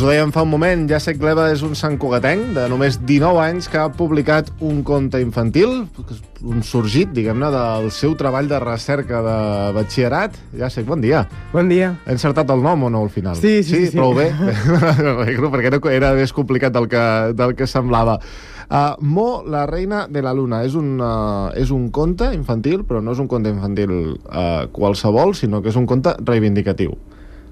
ho dèiem fa un moment, Jacek Gleba és un santcugatenc de només 19 anys que ha publicat un conte infantil, un sorgit, diguem-ne, del seu treball de recerca de batxillerat. Jacek, bon dia. Bon dia. He encertat el nom o no al final? Sí. Prou bé? Perquè era més complicat del que semblava. Mo, la reina de la luna, és un conte infantil, però no és un conte infantil qualsevol, sinó que és un conte reivindicatiu.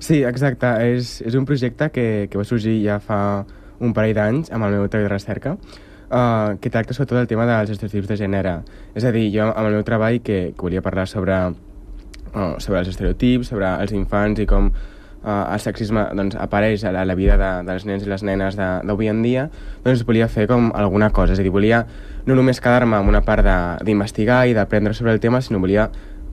Sí, exacte. És un projecte que va sorgir ja fa un parell d'anys amb el meu treball de recerca, que tracta sobretot el tema dels estereotips de gènere. És a dir, jo amb el meu treball que volia parlar sobre els estereotips, sobre els infants i com el sexisme apareix a la vida dels nens i les nenes d'avui en dia, doncs volia fer com alguna cosa. És a dir, volia no només quedar-me amb una part d'investigar i d'aprendre sobre el tema, sinó volia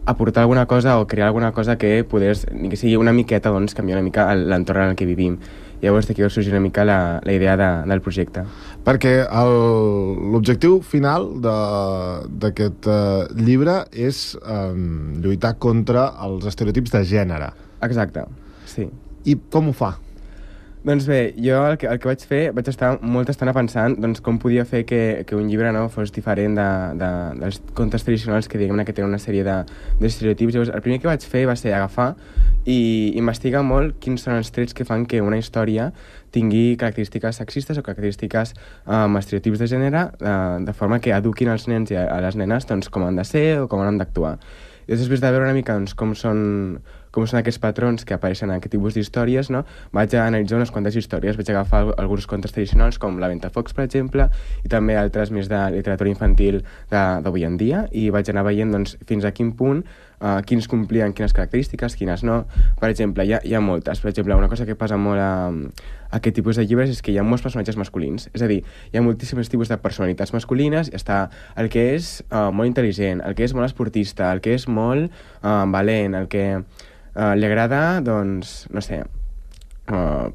aportar alguna cosa o crear alguna cosa que pogués, ni que sigui una miqueta, canviar una mica l'entorn en el que vivim. Llavors d'aquí va sorgir una mica la idea del projecte. Perquè l'objectiu final d'aquest llibre és lluitar contra els estereotips de gènere. Exacte, sí. I com ho fa? Doncs bé, jo el que vaig fer, vaig estar molta estona pensant com podia fer que un llibre fos diferent dels contes tradicionals que diguem-ne que tenen una sèrie d'estereotips. Llavors, el primer que vaig fer va ser agafar i investigar molt quins són els trets que fan que una història tingui característiques sexistes o característiques amb estereotips de gènere, de forma que eduquin els nens i a les nenes com han de ser o com han d'actuar. I després de veure una mica com són aquests patrons que apareixen en aquest tipus d'històries, vaig analitzar unes quantes històries, vaig agafar alguns contes tradicionals com La Ventafocs, per exemple, i també altres més de literatura infantil d'avui en dia, i vaig anar veient fins a quin punt quins complien quines característiques, quines no. Per exemple, hi ha moltes. Per exemple, una cosa que passa molt a aquest tipus de llibres és que hi ha molts personatges masculins. És a dir, hi ha moltíssims tipus de personalitats masculines. Està el que és molt intel·ligent, el que és molt esportista, el que és molt valent, el que li agrada,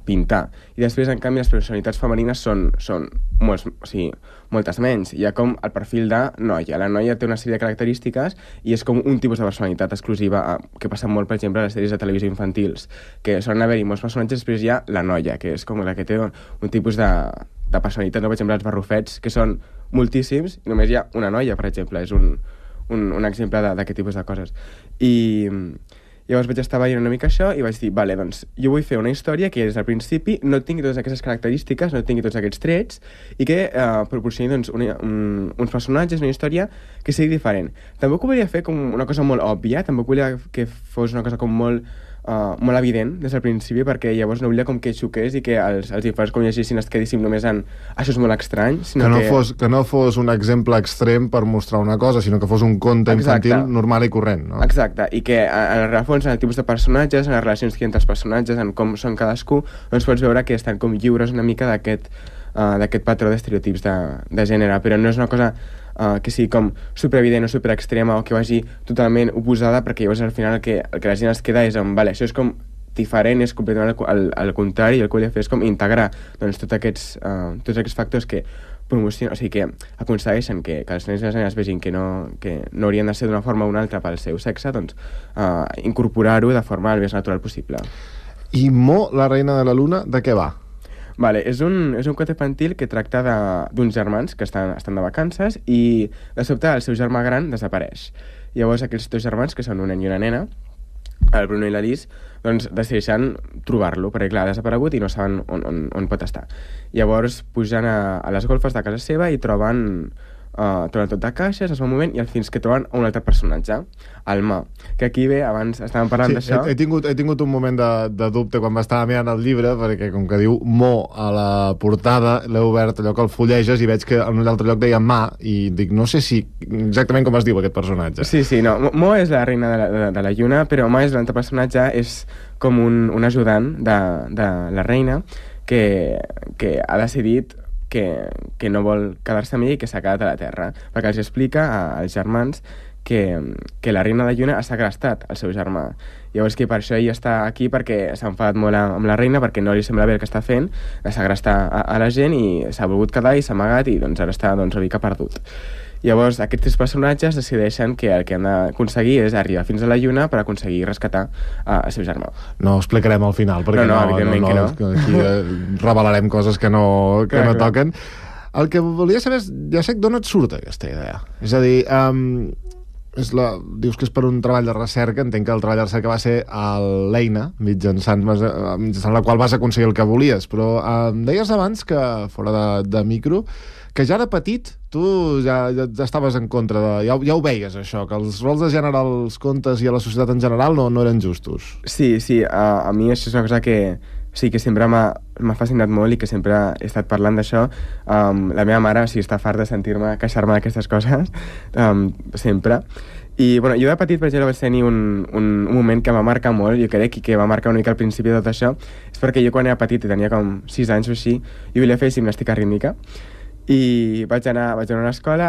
pintar. I després, en canvi, les personalitats femenines són moltes menys. Hi ha com el perfil de noia. La noia té una sèrie de característiques i és com un tipus de personalitat exclusiva que passa molt, per exemple, a les sèries de televisió infantils, que solen haver-hi molts personatges, després hi ha la noia, que és com la que té un tipus de personalitat. Per exemple, els barrufets, que són moltíssims, i només hi ha una noia, per exemple. És un exemple d'aquest tipus de coses. I llavors vaig estar veient una mica això i vaig dir, vale, doncs jo vull fer una història que des del principi no tingui totes aquestes característiques, no tingui tots aquests trets i que proporcioni uns personatges, una història que sigui diferent. Tampoc ho volia fer com una cosa molt òbvia, tampoc volia que fos una cosa com molt evident des del principi, perquè llavors no volia com que xoqués i que els infants com llegissin es quedéssim només en això és molt estrany, sinó que no fos un exemple extrem per mostrar una cosa, sinó que fos un conte infantil normal i corrent, no? Exacte, i que en el fons, en el tipus de personatges, en les relacions que hi ha entre els personatges, en com són cadascú, doncs pots veure que estan com lliures una mica d'aquest patró d'estereotips de gènere, però no és una cosa que sigui com superevident o superextrema o que vagi totalment oposada, perquè llavors al final el que la gent es queda és vale, això és com diferent, és completament al contrari, i el que volia fer és com integrar tots aquests factors que promocionen, o sigui, que aconsegueixen que els nens i les nenes vegin que no haurien de ser d'una forma o una altra pel seu sexe, doncs incorporar-ho de forma el més natural possible. I Mo, la reina de la luna, de què va? Vale, és un conte infantil que tracta d'uns germans que estan de vacances i de sobte el seu germà gran desapareix. Llavors aquests dos germans, que són un nen i una nena, el Bruno i l'Alice, doncs decideixen trobar-lo, perquè clar, ha desaparegut i no saben on pot estar. Llavors pugen a les golfes de casa seva i troben tot de caixes, es va movent, i al fins que troben un altre personatge, el Ma, que aquí bé, abans estàvem parlant d'això. He tingut un moment de dubte quan m'estava mirant el llibre, perquè com que diu Mo a la portada, l'he obert allò que el fulleges i veig que en un altre lloc deia Ma, i dic, no sé si exactament com es diu aquest personatge. Sí, no, Mo és la reina de la lluna, però Ma és l'altre personatge, és com un ajudant de la reina que ha decidit que no vol quedar-se amb ell i que s'ha quedat a la Terra, perquè els explica als germans que la reina de lluna ha segrestat el seu germà. Llavors que per això ell està aquí, perquè s'ha enfadat molt amb la reina, perquè no li sembla bé el que està fent, de segrestar a la gent, i s'ha volgut quedar i s'ha amagat i doncs ara està una mica perdut. Llavors, aquests 3 personatges decideixen que el que han d'aconseguir és arribar fins a la Lluna per aconseguir rescatar el seu germà. No ho explicarem al final, perquè evidentment que no. Aquí revelarem coses que no toquen. El que volia saber és, ja sé d'on et surt aquesta idea. És a dir, dius que és per un treball de recerca, entenc que el treball de recerca va ser a l'eina, mitjançant la qual vas aconseguir el que volies, però em deies abans que, fora de micro, que ja de petit tu ja estaves en contra ja ho veies, això, que els rols de gènere als contes i a la societat en general no eren justos. Sí, a mi això és una cosa que sempre m'ha fascinat molt i que sempre he estat parlant d'això. La meva mare està farta de sentir-me queixar-me d'aquestes coses, sempre. I bueno, jo de petit, per exemple, vaig tenir un moment que em va marcar molt, jo crec, i que va marcar una mica al principi de tot això, és perquè jo quan era petit, tenia com 6 anys o així, i volia fer gimnàstica rítmica, i vaig anar a una escola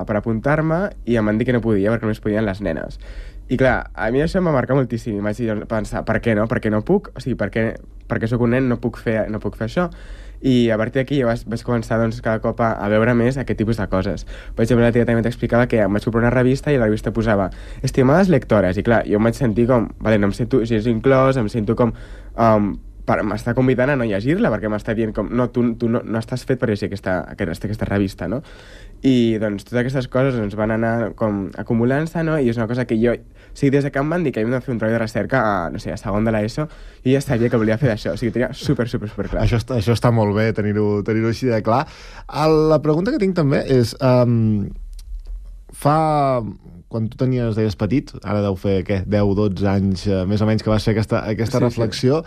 per apuntar-me i em van dir que no podia perquè només podien les nenes. I clar, a mi això em va marcar moltíssim i vaig pensar, per què no? Per què no puc? O sigui, perquè sóc un nen no puc fer això? I a partir d'aquí jo vaig començar cada cop a veure més aquest tipus de coses. Per exemple, la tia també t'explicava que em vaig comprar una revista i la revista posava estimades lectores, i clar, jo em vaig sentir com, vale, no em sento gens inclòs, em sento com m'està convidant a no llegir-la, perquè m'està dient com, no, tu no estàs fet per llegir aquesta revista, no? I doncs totes aquestes coses van anar com acumulant-se, no? I és una cosa que jo, des que em van dir que havíem de fer un treball de recerca a segon de l'ESO, jo ja sabia que volia fer d'això, tenia super clar. Això està molt bé, tenir-ho així de clar. La pregunta que tinc també és, quan tu deies petit, ara deu fer, 10-12 anys, més o menys, que vas fer aquesta reflexió,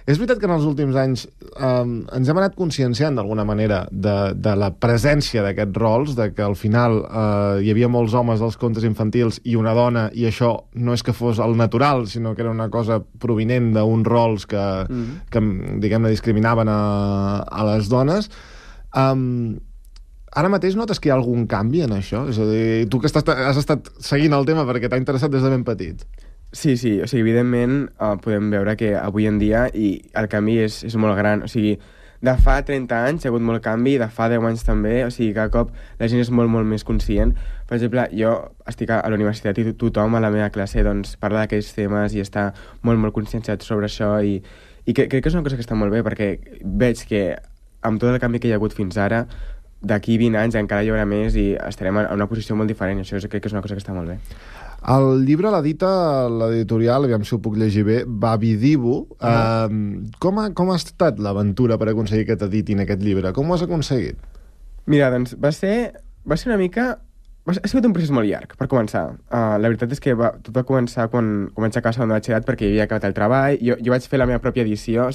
és veritat que en els últims anys ens hem anat conscienciant d'alguna manera de la presència d'aquests rols, de que al final hi havia molts homes als contes infantils i una dona, i això no és que fos el natural, sinó que era una cosa provinent d'uns rols que diguem-ne, discriminaven a les dones. Ara mateix notes que hi ha algun canvi en això? És a dir, tu que has estat seguint el tema perquè t'ha interessat des de ben petit. Sí, evidentment podem veure que avui en dia el canvi és molt gran. De fa 30 anys hi ha hagut molt canvi, de fa 10 anys també, cada cop la gent és molt més conscient. Per exemple, jo estic a la universitat i tothom a la meva classe parla d'aquells temes i està molt conscienciat sobre això, i crec que és una cosa que està molt bé, perquè veig que amb tot el canvi que hi ha hagut fins ara, d'aquí 20 anys encara hi haurà més i estarem en una posició molt diferent, i això crec que és una cosa que està molt bé. El llibre l'edita l'editorial, aviam si ho puc llegir bé, Babidibu. Com ha estat l'aventura per aconseguir que t'editin aquest llibre? Com ho has aconseguit? Mira, doncs va ser una mica... Ha sigut un procés molt llarg, per començar. La veritat és que tot va començar quan vaig acabar segon de batxillerat, perquè havia acabat el treball. Jo vaig fer la meva pròpia edició,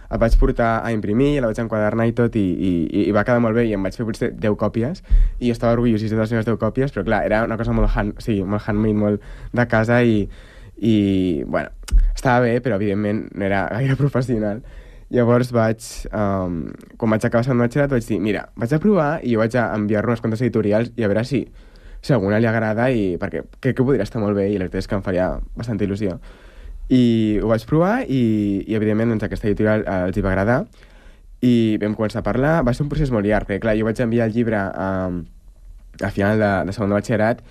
el vaig portar a imprimir, la vaig enquadernar i tot, i va quedar molt bé, i em vaig fer potser 10 còpies, i jo estava orgullosíssim de les meves 10 còpies, però clar, era una cosa molt handmade, molt de casa, i bueno, estava bé, però evidentment no era gaire professional. Llavors quan vaig acabar segon batxillerat, vaig dir, mira, vaig a provar, i jo vaig a enviar-lo unes quantes editorials, i a veure si a alguna li agrada, perquè crec que podria estar molt bé, i la veritat és que em faria bastanta il·lusió. I ho vaig provar i evidentment aquesta editorial els hi va agradar i vam començar a parlar. Va ser un procés molt llarg, perquè clar, jo vaig enviar el llibre a final de segon de batxillerat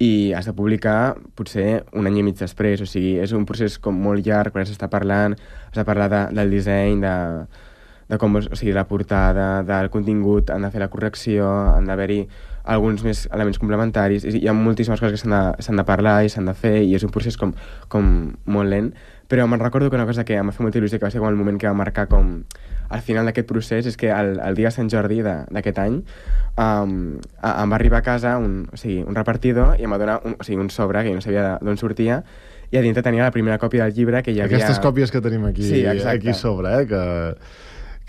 i has de publicar potser un any i mig després, és un procés com molt llarg, perquè s'està parlant, has de parlar del disseny, de com, la portada, del contingut, han de fer la correcció, han d'haver-hi alguns més elements complementaris, hi ha moltíssimes coses que s'han de parlar i s'han de fer, i és un procés com molt lent, però me'n recordo que una cosa que em va fer molta il·lusió, que va ser com el moment que va marcar com al final d'aquest procés, és que el dia de Sant Jordi d'aquest any em va arribar a casa un repartidor i em va donar un sobre que jo no sabia d'on sortia, i a dintre tenia la primera còpia del llibre que hi havia... Aquestes còpies que tenim aquí sobre,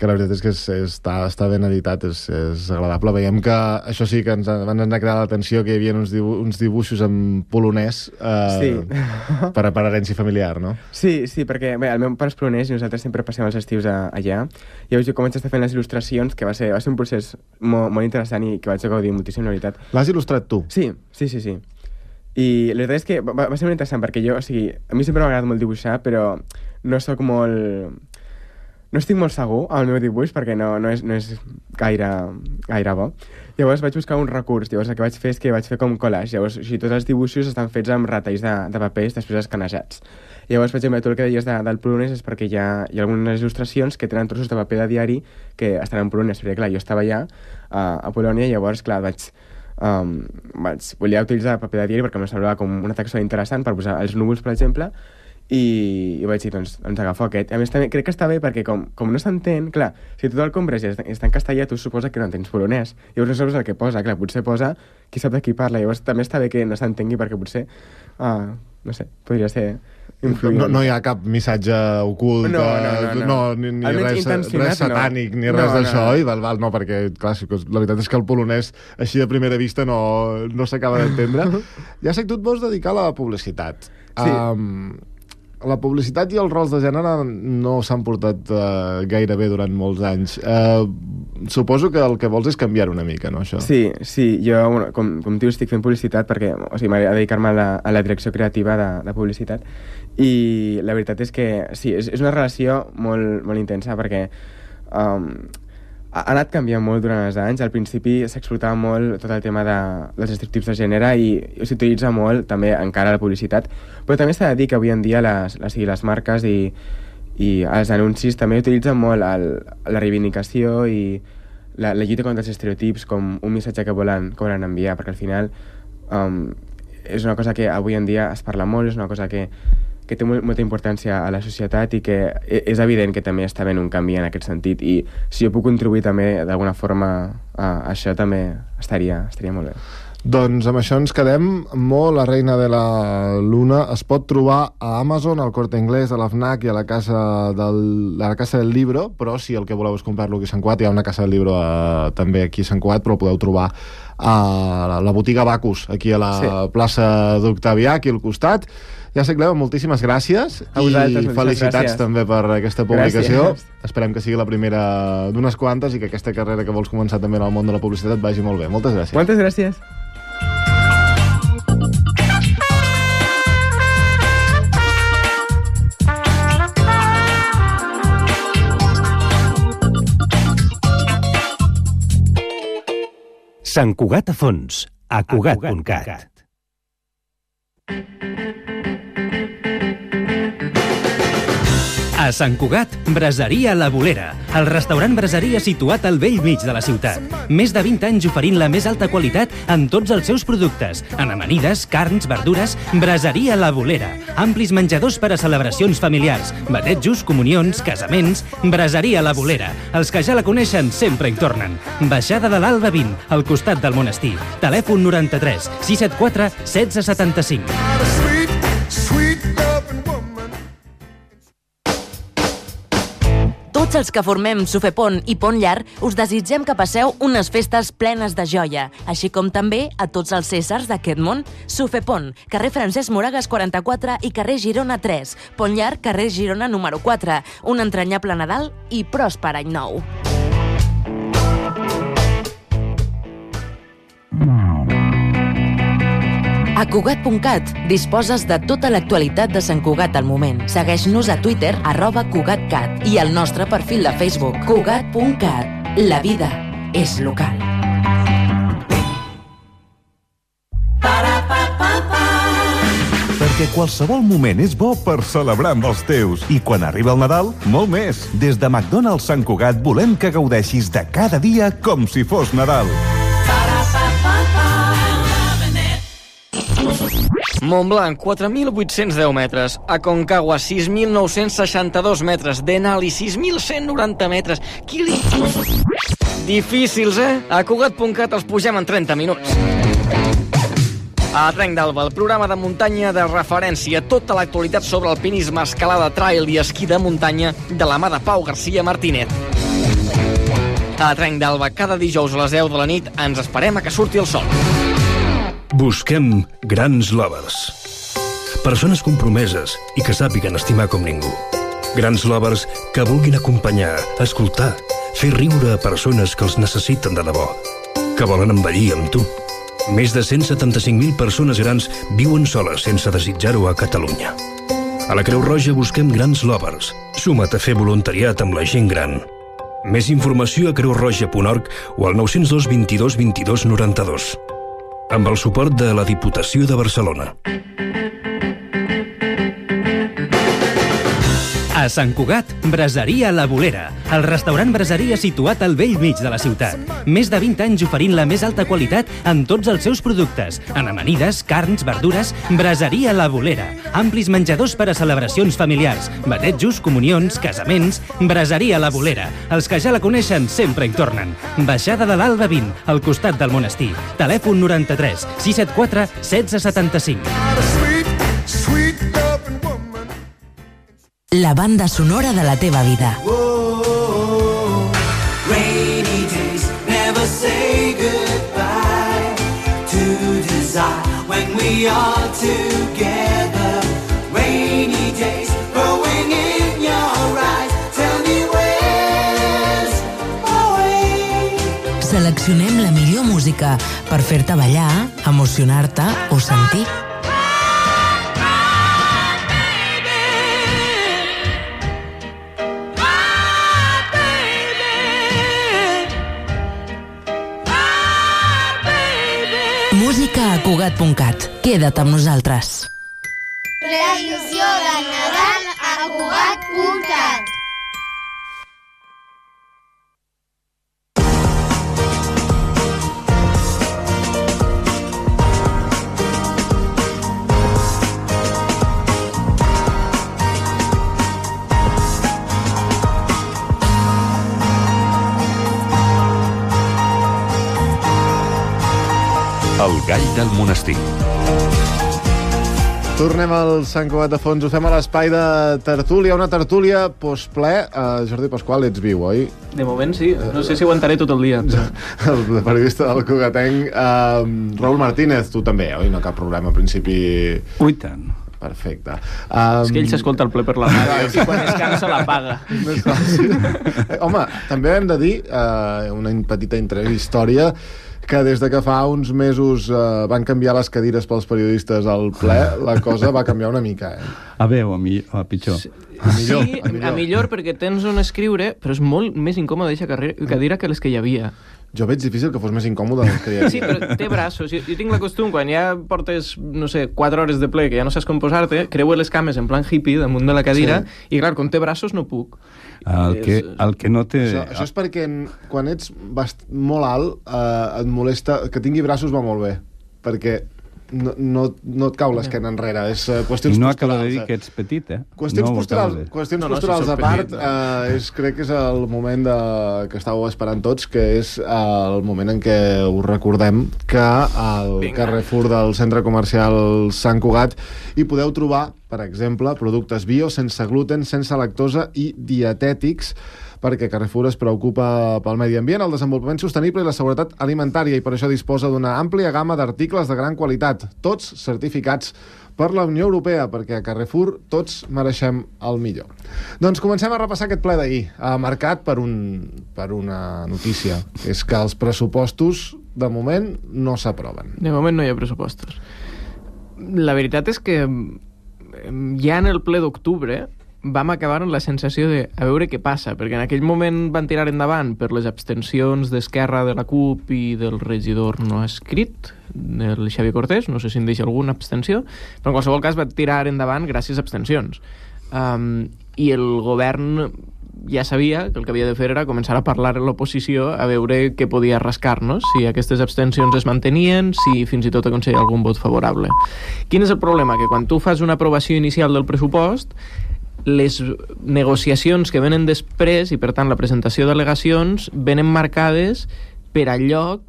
que la veritat és que està ben editat, és agradable. Veiem que això sí que ens van anar a cridar l'atenció, que hi havia uns dibuixos en polonès per herència familiar, no? Sí, perquè el meu pare és polonès i nosaltres sempre passem els estius allà. Llavors jo com vaig estar fent les il·lustracions, que va ser un procés molt interessant i que vaig gaudir moltíssim, la veritat. L'has il·lustrat tu? Sí. I la veritat és que va ser molt interessant, perquè jo, a mi sempre m'ha agradat molt dibuixar, però no sóc molt... no estic molt segur amb el meu dibuix perquè no és gaire bo. Llavors vaig buscar un recurs. Llavors el que vaig fer és que vaig fer com collage. Llavors, o sigui, tots els dibuixos estan fets amb retalls de papers després escanejats. Llavors, per exemple, tot el que deies del polonès és perquè hi ha algunes il·lustracions que tenen trossos de paper de diari que estan en polonès. Perquè, clar, jo estava allà a Polònia i llavors, clar, volia utilitzar paper de diari perquè em semblava com una textura interessant per posar els núvols, per exemple, i vaig dir, doncs agafo aquest. A més, també crec que està bé perquè com no s'entén, clar, si tu el compres i està en castellà, tu suposa que no entens polonès. Llavors no saps el que posa, clar, potser posa qui sap de qui parla. Llavors també està bé que no s'entengui perquè potser, no sé, podria ser influent. No hi ha cap missatge ocult, ni res satànic, ni res d'això, i no, perquè, clar, la veritat és que el polonès així de primera vista no s'acaba d'entendre. Ja sé que tu et vols dedicar a la publicitat. Sí. La publicitat i els rols de gènere no s'han portat gaire bé durant molts anys. Suposo que el que vols és canviar una mica, no, això? Sí, jo, com dius, estic fent publicitat perquè m'agrada dedicar-me a la direcció creativa de publicitat, i la veritat és que sí, és una relació molt, molt intensa perquè ha anat canviant molt durant els anys. Al principi s'explotava molt tot el tema dels estereotips de gènere i s'utilitza molt també encara la publicitat, però també s'ha de dir que avui en dia les marques i els anuncis també utilitzen molt la reivindicació i la lluita contra els estereotips com un missatge que volen enviar, perquè al final és una cosa que avui en dia es parla molt, és una cosa que té molta importància a la societat i que és evident que també està havent un canvi en aquest sentit, i si jo puc contribuir també d'alguna forma a això també estaria molt bé. Doncs amb això ens quedem. La reina de la luna es pot trobar a Amazon, al Corte Inglés, a la FNAC i a la Casa del Libro, però si el que voleu és comprar-lo aquí a Sant Cugat, hi ha una Casa del Libro també aquí a Sant Cugat, però el podeu trobar a la botiga Bacus, aquí a la plaça d'Octavià, aquí al costat. Ja sé, Cleo, moltíssimes gràcies i felicitats també per aquesta publicació. Gràcies. Esperem que sigui la primera d'unes quantes i que aquesta carrera que vols començar també en el món de la publicitat vagi molt bé. Moltes gràcies. Moltes gràcies. Sant Cugat a fons, a Cugat.cat. A Sant Cugat, Braseria La Bolera, el restaurant braseria situat al bell mig de la ciutat. Més de 20 anys oferint la més alta qualitat en tots els seus productes, en amanides, carns, verdures. Braseria La Bolera, amplis menjadors per a celebracions familiars, batejos, comunions, casaments. Braseria La Bolera, els que ja la coneixen sempre hi tornen. Baixada de l'Alba 20, al costat del monestir. Telèfon 93 674 1675. Tots els que formem Sufepont i Pont Llarg us desitgem que passeu unes festes plenes de joia, així com també a tots els Cèsars d'aquest món. Sufepont, carrer Francesc Moragas 44 i carrer Girona 3. Pont Llarg, carrer Girona número 4. Un entranyable Nadal i pròsper any nou. A Cugat.cat disposes de tota l'actualitat de Sant Cugat al moment. Segueix-nos a Twitter, @CugatCat, i al nostre perfil de Facebook, Cugat.cat. La vida és local. Perquè qualsevol moment és bo per celebrar amb els teus. I quan arriba el Nadal, molt més. Des de McDonald's Sant Cugat volem que gaudeixis de cada dia com si fos Nadal. Montblanc, 4.810 metres. Aconcagua, 6.962 metres. Denali, 6.190 metres. Difícils, eh? A Cugat.cat els pugem en 30 minuts. A Trenc d'Alba, el programa de muntanya de referència. Tota l'actualitat sobre alpinisme, escalada, trail i esquí de muntanya de la mà de Pau García Martínez. A Trenc d'Alba, cada dijous a les 10 de la nit ens esperem a que surti el sol. Busquem grans lovers. Persones compromeses i que sàpiguen estimar com ningú. Grans lovers que vulguin acompanyar, escoltar, fer riure a persones que els necessiten de debò, que volen envellir amb tu. Més de 175.000 persones grans viuen soles sense desitjar-ho a Catalunya. A la Creu Roja busquem grans lovers. Suma't a fer voluntariat amb la gent gran. Més informació a creuroja.org o al 902 22 22 92. Amb el suport de la Diputació de Barcelona. A Sant Cugat, Braseria La Bolera, el restaurant braseria situat al vell mig de la ciutat. Més de 20 anys oferint la més alta qualitat en tots els seus productes, en amanides, carns, verdures. Braseria La Bolera, amplis menjadors per a celebracions familiars, batejos, comunions, casaments. Braseria La Bolera, els que ja la coneixen sempre hi tornen. Baixada de l'Alba 20, al costat del monestir. Telèfon 93 674 1675. La banda sonora de la teva vida. Rainy days never say goodbye to desire when we are together. Rainy days growing in your eyes. Tell me where's my way. Seleccionem la millor música per fer-te ballar, emocionar-te o sentir. Música a Cugat.cat. Queda't amb nosaltres. Previsió de Nadal a Cugat.cat. El gall del monestir. Tornem al Sant Cugat de Fons, ho fem a l'espai de tertúlia, una tertúlia postple. Jordi Pasqual, ets viu, oi? De moment sí, no sé si aguantaré tot el dia. El periodista del Cugatenc, Raül Martínez, tu també, oi? No cap problema, en principi... Ui, tant. Perfecte. És que ell s'escolta el ple per la ràdio i quan es cansa la paga. Home, també hem de dir, una petita intrahistòria, que des de que fa uns mesos van canviar les cadires pels periodistes al ple, la cosa va canviar una mica, A bé o a pitjor? A millor perquè tens on escriure, però és molt més incòmode aquesta cadira que les que hi havia. Jo veig difícil que fos més incòmode que hi havia. Sí, però té braços. Jo tinc la costum, quan ja portes, no sé, 4 hores de ple, que ja no saps com posar-te, creuo les cames en plan hippie damunt de la cadira, i clar, com té braços no puc. El que no té... Això és perquè quan ets molt alt et molesta... Que tingui braços va molt bé, perquè no et cau l'esquena enrere. És qüestions I no posturals. acaba de dir que ets petit, Qüestions posturals a part, crec que és el moment que estàveu esperant tots, que és el moment en què us recordem que al Carrefour del centre comercial Sant Cugat hi podeu trobar, per exemple, productes bio, sense gluten, sense lactosa i dietètics, perquè Carrefour es preocupa pel medi ambient, el desenvolupament sostenible i la seguretat alimentària, i per això disposa d'una àmplia gamma d'articles de gran qualitat, tots certificats per la Unió Europea, perquè a Carrefour tots mereixem el millor. Doncs comencem a repassar aquest ple d'ahir, marcat per una notícia, que és que els pressupostos, de moment, no s'aproven. De moment no hi ha pressupostos. La veritat és que ja en el ple d'octubre vam acabar amb la sensació de a veure què passa, perquè en aquell moment van tirar endavant per les abstencions d'Esquerra, de la CUP i del regidor no escrit, del Xavier Cortés, no sé si en deixa alguna abstenció, però en qualsevol cas va tirar endavant gràcies a abstencions. I el govern ja sabia que el que havia de fer era començar a parlar a l'oposició a veure què podia rascar-nos, si aquestes abstencions es mantenien, si fins i tot aconseguia algun vot favorable. Quin és el problema? Que quan tu fas una aprovació inicial del pressupost, les negociacions que venen després i per tant la presentació d'al·legacions venen marcades per allò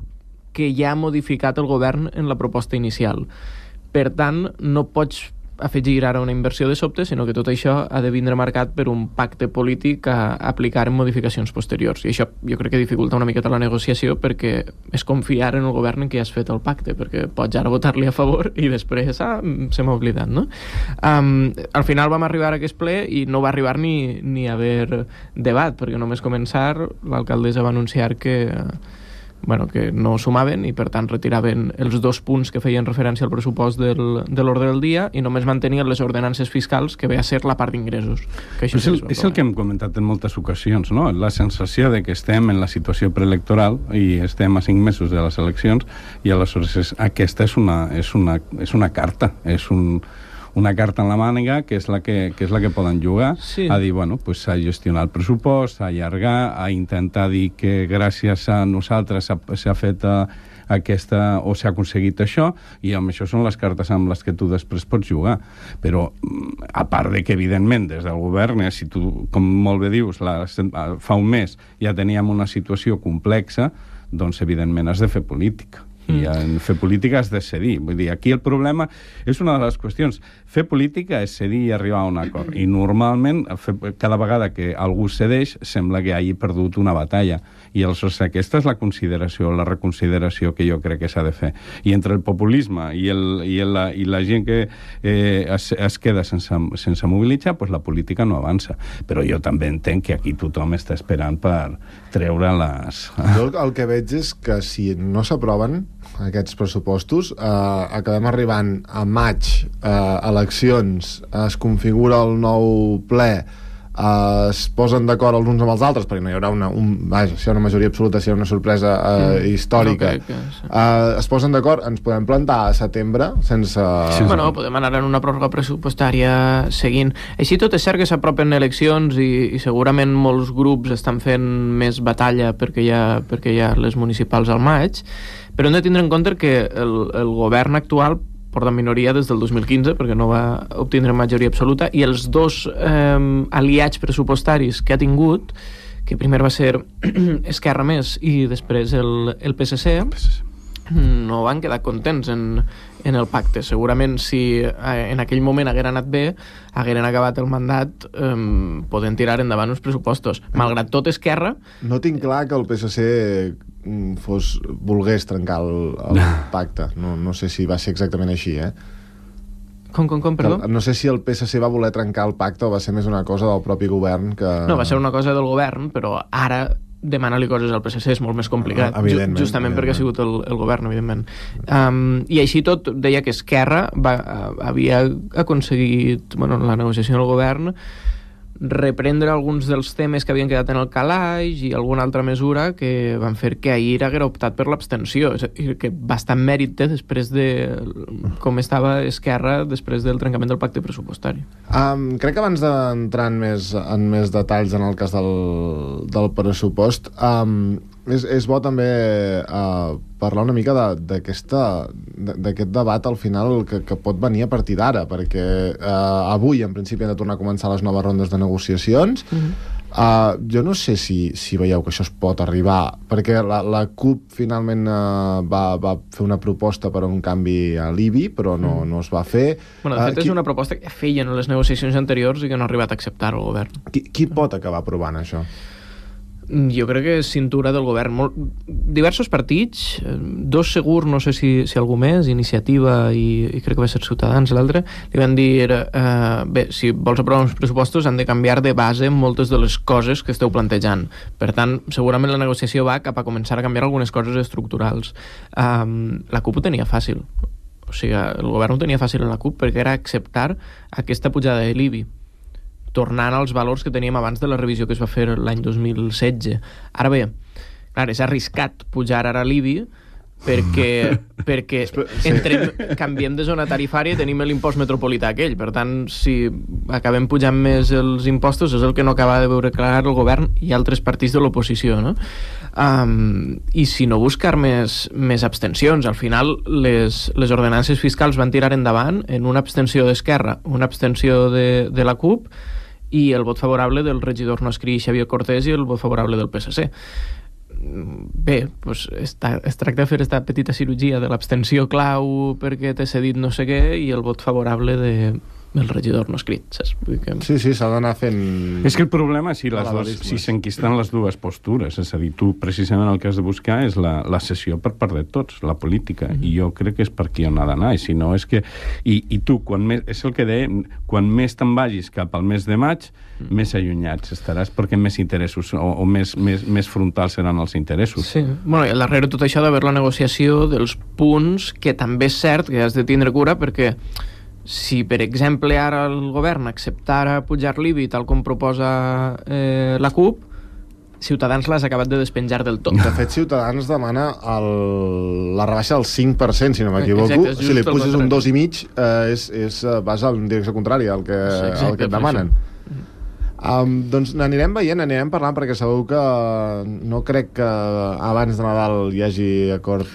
que ja ha modificat el govern en la proposta inicial. Per tant, no pots afegir ara una inversió de sobte, sinó que tot això ha de vindre marcat per un pacte polític a aplicar en modificacions posteriors. I això jo crec que dificulta una miqueta la negociació, perquè és confiar en el govern en què has fet el pacte, perquè pots ara votar-li a favor i després se m'ha oblidat, no? Al final vam arribar a aquest ple i no va arribar ni a haver debat, perquè només començar l'alcaldessa va anunciar que que no sumaven i per tant retiraven els 2 punts que feien referència al pressupost de l'ordre del dia i només mantenien les ordenances fiscals, que ve a ser la part d'ingressos. És el que hem comentat en moltes ocasions, no? La sensació de que estem en la situació preelectoral i estem a 5 mesos de les eleccions i aleshores aquesta és una carta, és una carta en la màniga que és la que poden jugar, a dir, pues a gestionar el pressupost, a allargar, a intentar dir que gràcies a nosaltres s'ha fet aquesta, o s'ha aconseguit això, i amb això són les cartes amb les que tu després pots jugar. Però, a part de que, evidentment, des del govern, si tu, com molt bé dius, fa un mes ja teníem una situació complexa, doncs, evidentment, has de fer política. I en fer política has de cedir. Vull dir, aquí el problema és una de les qüestions. Fer política és cedir i arribar a un acord. I normalment, cada vegada que algú cedeix, sembla que hagi perdut una batalla. I aleshores aquesta és la consideració, la reconsideració que jo crec que s'ha de fer. I entre el populisme i la gent que es queda sense mobilitzar, doncs la política no avança. Però jo també entenc que aquí tothom està esperant per treure les... Jo el que veig és que si no s'aproven aquests pressupostos, acabem arribant a maig, eleccions, es configura el nou ple, es posen d'acord els uns amb els altres, perquè no hi haurà una majoria absoluta, si hi ha una sorpresa històrica. Es posen d'acord, ens podem plantar a setembre sense... Podem anar en una pròrroga pressupostària seguint. Així tot és cert que s'apropen eleccions i segurament molts grups estan fent més batalla perquè hi ha les municipals al maig, però hem de tindre en compte que el govern actual porta minoria des del 2015 perquè no va obtindre majoria absoluta, i els 2 aliats pressupostaris que ha tingut, que primer va ser Esquerra Més i després el PSC, no van quedar contents en el pacte. Segurament si en aquell moment hagueren anat bé, hagueren acabat el mandat podent tirar endavant uns pressupostos. Malgrat tot, Esquerra... No tinc clar que el PSC volgués trencar el pacte. No sé si va ser exactament així, Com, perdó? No sé si el PSC va voler trencar el pacte o va ser més una cosa del propi govern que... No, va ser una cosa del govern, però ara demanar-li coses al PSC és molt més complicat, justament perquè ha sigut el govern, evidentment. I així tot, deia que Esquerra havia aconseguit, en la negociació del govern, reprendre alguns dels temes que havien quedat en el calaix i alguna altra mesura que van fer que ahir haguera optat per l'abstenció. És a dir, que bastant mèrit té després de com estava Esquerra després del trencament del pacte pressupostari. Crec que abans d'entrar en més detalls en el cas del pressupost, és bo també parlar una mica d'aquest debat al final que pot venir a partir d'ara, perquè avui en principi han de tornar a començar les noves rondes de negociacions. Jo no sé si veieu que això es pot arribar, perquè la CUP finalment va fer una proposta per a un canvi a l'IBI, però no es va fer. De fet, és una proposta que feien en les negociacions anteriors i que no ha arribat a acceptar el govern. Qui pot acabar aprovant això? Jo crec que és cintura del govern. Diversos partits, 2 segur, no sé si algú més, Iniciativa i crec que va ser Ciutadans l'altre, li van dir bé, si vols aprovar uns pressupostos han de canviar de base moltes de les coses que esteu plantejant. Per tant, segurament la negociació va cap a començar a canviar algunes coses estructurals. La CUP ho tenia fàcil. O sigui, el govern ho tenia fàcil en la CUP perquè era acceptar aquesta pujada de l'IBI, tornant als valors que teníem abans de la revisió que es va fer l'any 2016. Ara bé, clar, és arriscat pujar ara l'IBI perquè canviem de zona tarifària i tenim l'impost metropolità aquell. Per tant, si acabem pujant més els impostos és el que no acaba de veure clar el govern i altres partits de l'oposició, no? I si no buscar més abstencions. Al final les ordenances fiscals van tirar endavant en una abstenció d'Esquerra, una abstenció de la CUP i el vot favorable del regidor no escrit Xavier Cortés i el vot favorable del PSC. Bé, doncs es tracta de fer aquesta petita cirurgia de l'abstenció clau perquè t'he cedit no sé què i el vot favorable el regidor no escrit, saps? Sí, s'ha d'anar fent... És que el problema és si s'enquisten les dues postures, és a dir, tu precisament el que has de buscar és la cessió per part de tots, la política, i jo crec que és per aquí on ha d'anar, i si no és que... I tu, és el que dèiem, quan més te'n vagis cap al mes de maig, més allunyats estaràs, perquè més interessos o més frontals seran els interessos. Sí, bueno, i al darrere tot això d'haver la negociació dels punts, que també és cert que has de tindre cura, perquè si, per exemple, ara el govern acceptara pujar l'IBI tal com proposa la CUP, Ciutadans l'has acabat de despenjar del tot. De fet, Ciutadans demana la rebaixa del 5%, si no m'equivoco. Exacte, si li puges un 2,5%, vas en direcció contrària al que et demanen. Doncs n'anirem veient, anirem parlant, perquè segur que no crec que abans de Nadal hi hagi acord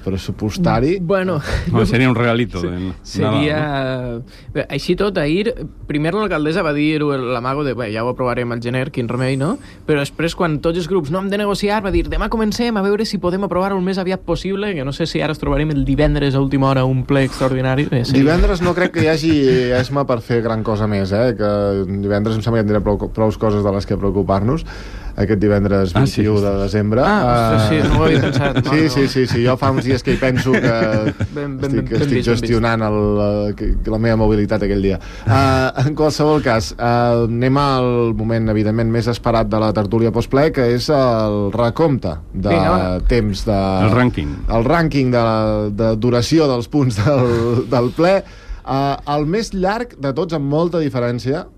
pressupostari. Bueno, seria un regalito. Seria... Bé, així tot, ahir, primer l'alcaldessa va dir l'amago de ja ho aprovarem al gener, quin remei, no? Però després, quan tots els grups no hem de negociar, va dir demà comencem a veure si podem aprovar-ho el més aviat possible, que no sé si ara es trobarem el divendres a última hora un ple extraordinari. Divendres no crec que hi hagi esma per fer gran cosa més, que divendres em sembla que prou coses de les que preocupar-nos aquest divendres 21 de desembre. Sí, no ho havia pensat. Sí, jo fa uns dies que hi penso que estic gestionant la meva mobilitat aquell dia. En qualsevol cas, anem al moment, evidentment, més esperat de la tertúlia postple, que és el recompte de temps de... El rànquing. El rànquing de duració dels punts del ple. El més llarg de tots, amb molta diferència,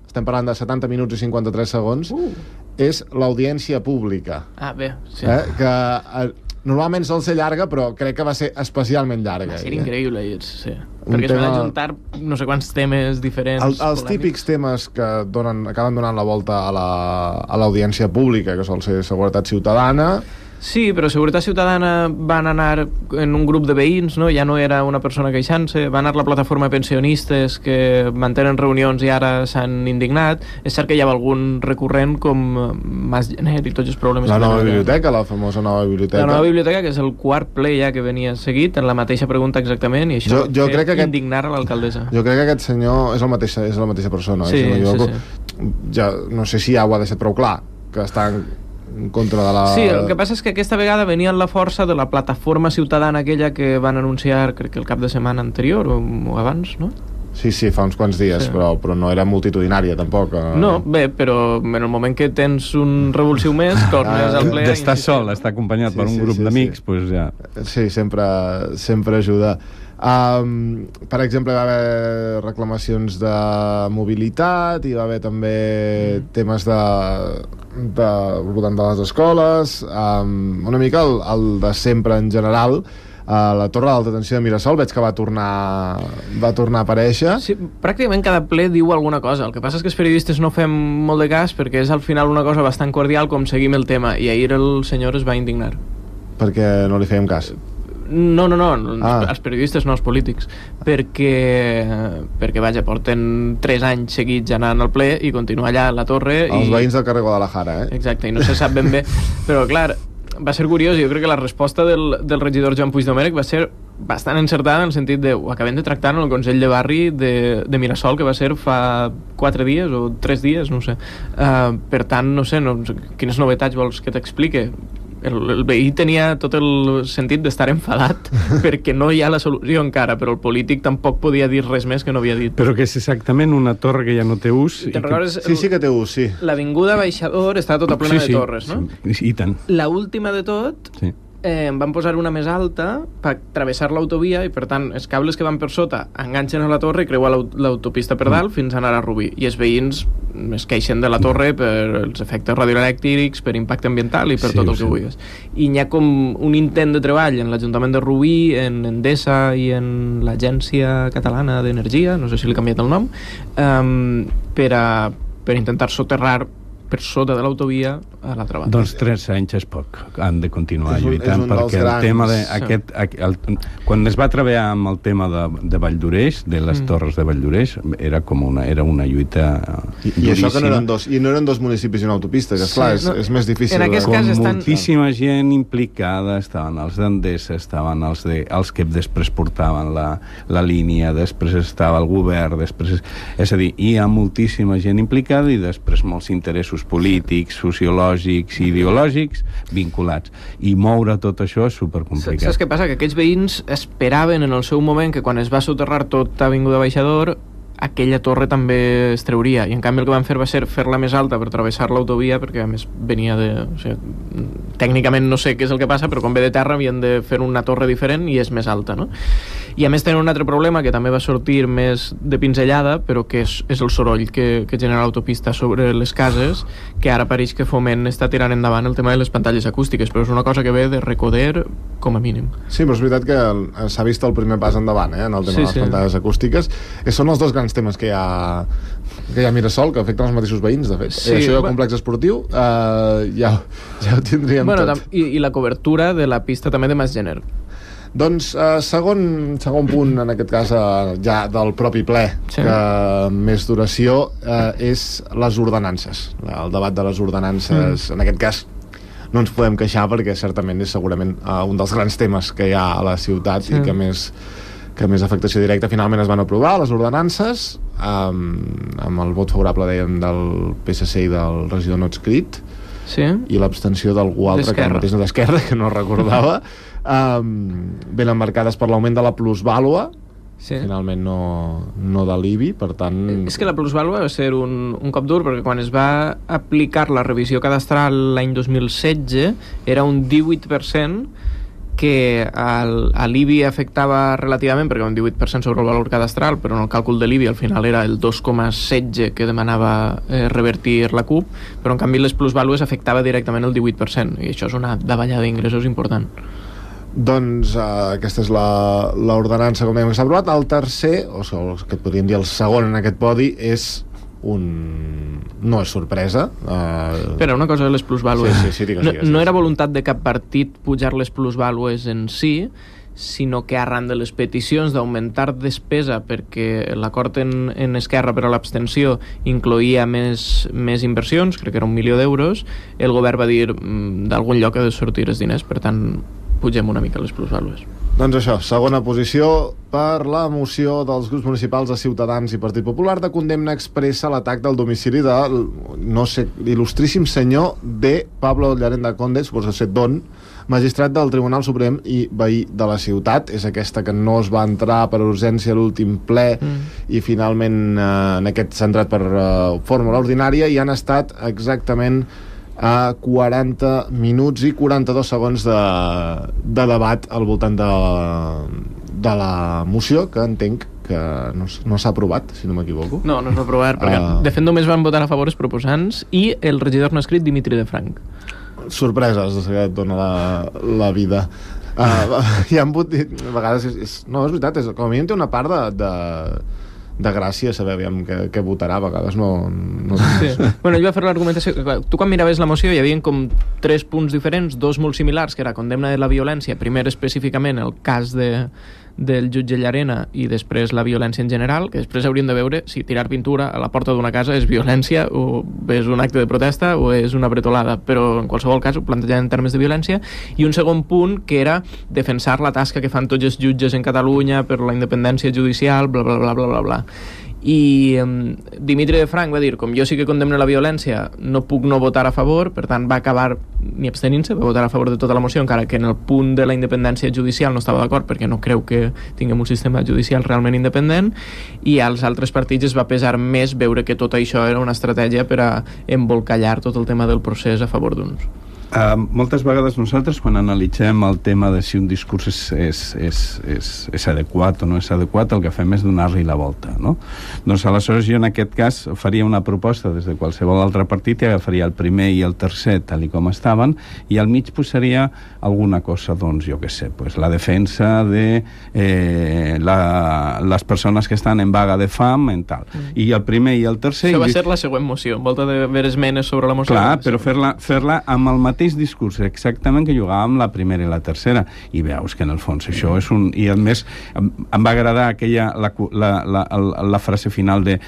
estem parlant de 70 minuts i 53 segons, és l'audiència pública. Bé, sí. Que normalment sol ser llarga, però crec que va ser especialment llarga. Va ser increïble, sí. Perquè es van ajuntar no sé quants temes diferents. Els típics temes que acaben donant la volta a l'audiència pública, que sol ser seguretat ciutadana. Sí, però Seguretat Ciutadana van anar en un grup de veïns, no? Ja no era una persona queixant-se, va anar la plataforma de pensionistes que mantenen reunions i ara s'han indignat. És cert que hi ha algun recurrent com Mas Gener i tots els problemes. La nova biblioteca, la famosa nova biblioteca. La nova biblioteca, que és el quart ple ja que venia seguit, en la mateixa pregunta exactament, i això jo crec que indignar a l'alcaldessa. Jo crec que aquest senyor és la mateixa persona. Sí, ja no sé si ja ho ha deixat prou clar, que està en contra de la... Sí, el que passa és que aquesta vegada venia amb la força de la plataforma ciutadana aquella que van anunciar, crec que el cap de setmana anterior o abans, no? Sí, fa uns quants dies, sí. però no era multitudinària, tampoc. No, bé, però en el moment que tens un revulsiu més, tornes al ple... D'estar sol, estar acompanyat per un grup d'amics, doncs ja... Sí, sempre ajuda. Per exemple, va haver reclamacions de mobilitat, i va haver també temes voltant de les escoles, una mica el de sempre en general. La torre d'alta tensió de Mirasol veig que va tornar a aparèixer. Sí, pràcticament cada ple diu alguna cosa. El que passa és que els periodistes no fem molt de cas, perquè és al final una cosa bastant cordial com seguim el tema, i ahir el senyor es va indignar. Perquè no li fèiem cas? No, els periodistes no, els polítics, perquè vaja, porten 3 anys seguits anant al ple i continua allà a la torre. Els veïns del carrer Guadalajara, Exacte, i no se sap ben bé, però clar, va ser curiós, i jo crec que la resposta del regidor Joan Puigdomènech va ser bastant encertada, en el sentit de ho acabem de tractar en el Consell de Barri de Mirasol, que va ser fa 4 dies o 3 dies, no ho sé. Per tant, no sé, quines novetats vols que t'explique? El veí tenia tot el sentit d'estar enfadat perquè no hi ha la solució encara, però el polític tampoc podia dir res més que no havia dit. Però que és exactament una torre que ja no té ús. Sí que té ús, sí. L'avinguda Baixador està tota plena de torres, no? Sí, i tant. La última de tot... Sí. Van posar una més alta per travessar l'autovia, i per tant els cables que van per sota enganxen a la torre i creuen l'autopista per dalt fins a anar a Rubí, i els veïns es queixen de la torre per els efectes radioelèctrics, per impacte ambiental i per tot el que vulguis. I hi ha com un intent de treball en l'Ajuntament de Rubí, en Endesa i en l'Agència Catalana d'Energia, no sé si li he canviat el nom, per intentar soterrar per sota de l'autovia a l'altra banda. Doncs 3 anys és poc. Han de continuar lluitant, perquè grans. el tema de... Quan es va treballar amb el tema de Valldoreix, de les torres de Valldoreix, era una lluita I això que no eren dos municipis i una autopista, que esclar, és més difícil. En aquest cas moltíssima gent implicada, estaven els d'Endesa, estaven els que després portaven la línia, després estava el govern, és a dir, hi ha moltíssima gent implicada i després molts interessos polítics, sociològics i ideològics vinculats. I moure tot això és supercomplicat. Saps què passa? Que aquells veïns esperaven en el seu moment que quan es va soterrar tot Avinguda Baixador aquella torre també es trauria, i en canvi el que van fer va ser fer-la més alta per travessar l'autovia, perquè a més venia de... O sigui, tècnicament no sé què és el que passa, però quan ve de terra havien de fer una torre diferent i és més alta, no? I a més tenen un altre problema que també va sortir més de pinzellada, però que és el soroll que genera l'autopista sobre les cases, que ara pareix que Foment està tirant endavant el tema de les pantalles acústiques, però és una cosa que ve de Recoder com a mínim. Sí, però és veritat que s'ha vist el primer pas endavant, en el tema de les pantalles acústiques. Són els dos grans temes que hi ha a Mirasol, que afecten els mateixos veïns, de fet. Sí, això del complex esportiu ja ho tindríem tot. I la cobertura de la pista també de Masgener. Doncs segon punt, en aquest cas ja del propi ple, que més duració, és les ordenances. El debat de les ordenances, en aquest cas no ens podem queixar perquè certament és segurament un dels grans temes que hi ha a la ciutat i que més afectació directa. Finalment es van aprovar les ordenances amb el vot favorable, dèiem, del PSC i del regidor no adscrit, i l'abstenció d'algú altre que mateix no d'Esquerra, que no recordava, ben emmarcades per l'augment de la plusvàlua, finalment no de l'IBI, per tant... És que la plusvàlua va ser un cop dur, perquè quan es va aplicar la revisió cadastral l'any 2016 era un 18%, que a l'IBI afectava relativament, perquè un 18% sobre el valor cadastral, però en el càlcul de l'IBI al final era el 2,16% que demanava revertir la CUP, però en canvi les plusvàlues afectava directament el 18%, i això és una davallada d'ingressos important. Doncs aquesta és l'ordenança, com dèiem, que s'ha aprovat. El tercer, o que podríem dir el segon en aquest podi, és no és sorpresa. Però una cosa de les plusvàlues. No era voluntat de cap partit pujar les plusvàlues en si, sinó que arran de les peticions d'augmentar despesa, perquè l'acord en Esquerra per a l'abstenció incloïa més inversions, crec que era 1 milió d'euros, el govern va dir d'algun lloc ha de sortir els diners, per tant pugem una mica les plusvàlues. Doncs això, segona posició per la moció dels grups municipals de Ciutadans i Partit Popular de condemna expressa l'atac del domicili de, no sé, il·lustríssim senyor de Pablo Llarenda Conde, suposo ser Don, magistrat del Tribunal Suprem i veí de la ciutat. És aquesta que no es va entrar per urgència a l'últim ple i finalment en aquest s'ha entrat per fórmula ordinària, i han estat exactament a 40 minuts i 42 segons de debat al voltant de la moció, que entenc que no s'ha aprovat, si no m'equivoco. No s'ha aprovat, perquè de fet només van votar a favor els proposants i el regidor no escrit Dimitri de Frank. Sorpreses que et dona la vida. Hi ha hagut... A vegades no, és veritat, com a mínim té una part de gràcia saber què votarà, a vegades no... Sí. Bueno, ell va fer l'argumentació, tu quan miraves la moció hi havia com 3 punts diferents, 2 molt similars, que era condemna de la violència, primer específicament el cas del jutge Llarena i després la violència en general, que després hauríem de veure si tirar pintura a la porta d'una casa és violència o és un acte de protesta o és una bretolada, però en qualsevol cas ho plantejaven en termes de violència. I un segon punt que era defensar la tasca que fan tots els jutges en Catalunya per la independència judicial, bla bla bla bla bla bla. I Dimitri de Frank va dir, com jo sí que condemno la violència, no puc no votar a favor, per tant va acabar ni abstenint-se, va votar a favor de tota la moció, encara que en el punt de la independència judicial no estava d'acord, perquè no creu que tinguem un sistema judicial realment independent, i als altres partits es va pesar més veure que tot això era una estratègia per a embolcallar tot el tema del procés a favor d'uns. Moltes vegades nosaltres, quan analitzem el tema de si un discurs és adequat o no és adequat, el que fem és donar-li la volta, no? Doncs aleshores jo en aquest cas faria una proposta des de qualsevol altre partit i agafaria el primer i el tercer tal i com estaven, i al mig posaria alguna cosa, doncs jo què sé, pues, la defensa de les persones que estan en vaga de fam en tal. I el primer i el tercer... Això va ser la següent moció, envolta d'haver esmenes sobre la moció. Clar, però fer-la amb el mateix discurs exactament que jugàvem la primera i la tercera, i veus que en el fons això és un... I a més em va agradar la frase final de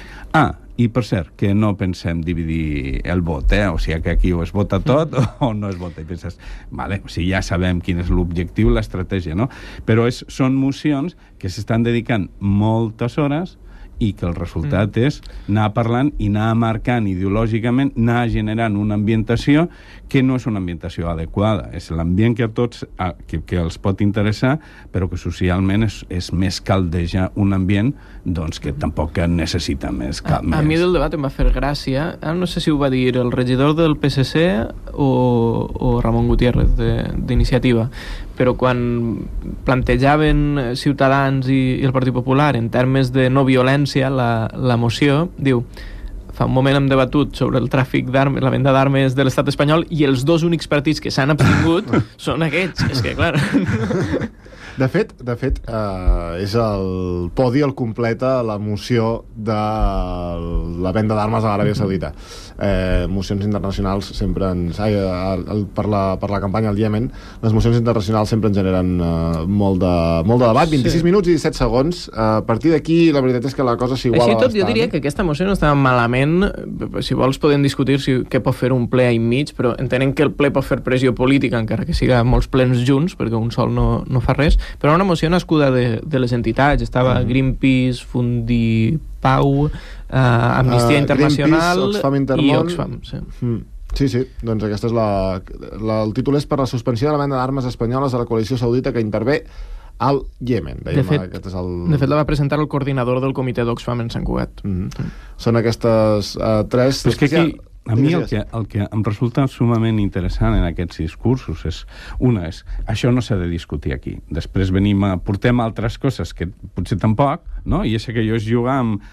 i per cert, que no pensem dividir el vot, o sigui que aquí o es vota tot o no es vota, i penses, vale, o sigui, ja sabem quin és l'objectiu, l'estratègia, no? Però són mocions que s'estan dedicant moltes hores i que el resultat és anar parlant i anar marcant ideològicament, anar generant una ambientació que no és una ambientació adequada, és l'ambient que a tots que els pot interessar, però que socialment és més caldeja un ambient doncs que tampoc necessita més. A mi del debat em va fer gràcia, no sé si ho va dir el regidor del PSC o Ramon Gutiérrez d'Iniciativa, però quan plantejaven Ciutadans i el Partit Popular en termes de no violència la moció, diu: fa un moment hem debatut sobre el tràfic d'armes, la venda d'armes de l'estat espanyol, i els dos únics partits que s'han abstingut són aquests. És que, clar... De fet, és el podi el completa la moció de la venda d'armes a l'Aràbia Saudita. Mocions internacionals sempre ens... per la campanya al Iemen, les mocions internacionals sempre ens generen molt de debat. 26 minuts i 17 segons. A partir d'aquí, la veritat és que la cosa s'iguala bastant. Així tot, jo diria que aquesta moció no estava malament. Si vols podem discutir què pot fer un ple enmig, però entenem que el ple pot fer pressió política, encara que siga molts plens junts, perquè un sol no fa res, però una moció nascuda de les entitats. Estava Greenpeace, Fundipau, Amnistia Internacional i Oxfam. Sí, doncs aquesta és el títol és per la suspensió de la venda d'armes espanyoles a la coalició saudita que intervé al Iemen. De fet, la va presentar el coordinador del comitè d'Oxfam en Sant Cugat. Són aquestes tres... Però és que aquí... A mi el que em resulta sumament interessant en aquests discursos és això no s'ha de discutir aquí. Després portem altres coses que potser tampoc, no? I és que jo es jugar amb...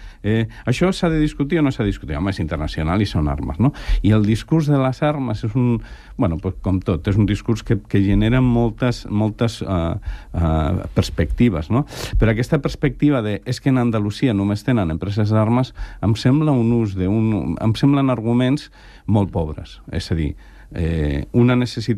això s'ha de discutir o no s'ha de discutir? Home, és internacional i són armes, no? I el discurs de les armes és un... Bueno, pues, com tot, és un discurs que genera moltes perspectives, no? Però aquesta perspectiva és que en Andalusia només tenen empreses d'armes, em sembla em semblen arguments molt pobres. És a dir,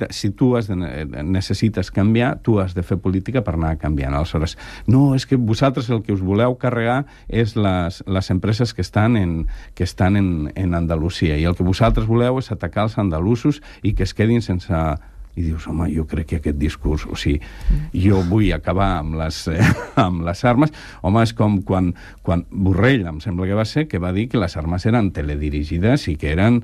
si tu necessites canviar, tu has de fer política per anar canviant. Aleshores, no, és que vosaltres el que us voleu carregar és les empreses que estan en Andalusia, i el que vosaltres voleu és atacar els andalusos i que es quedin sense... I dius, home, jo crec que aquest discurs... O sigui, jo vull acabar amb les armes. Home, és com quan Borrell, em sembla que va ser, que va dir que les armes eren teledirigides i que eren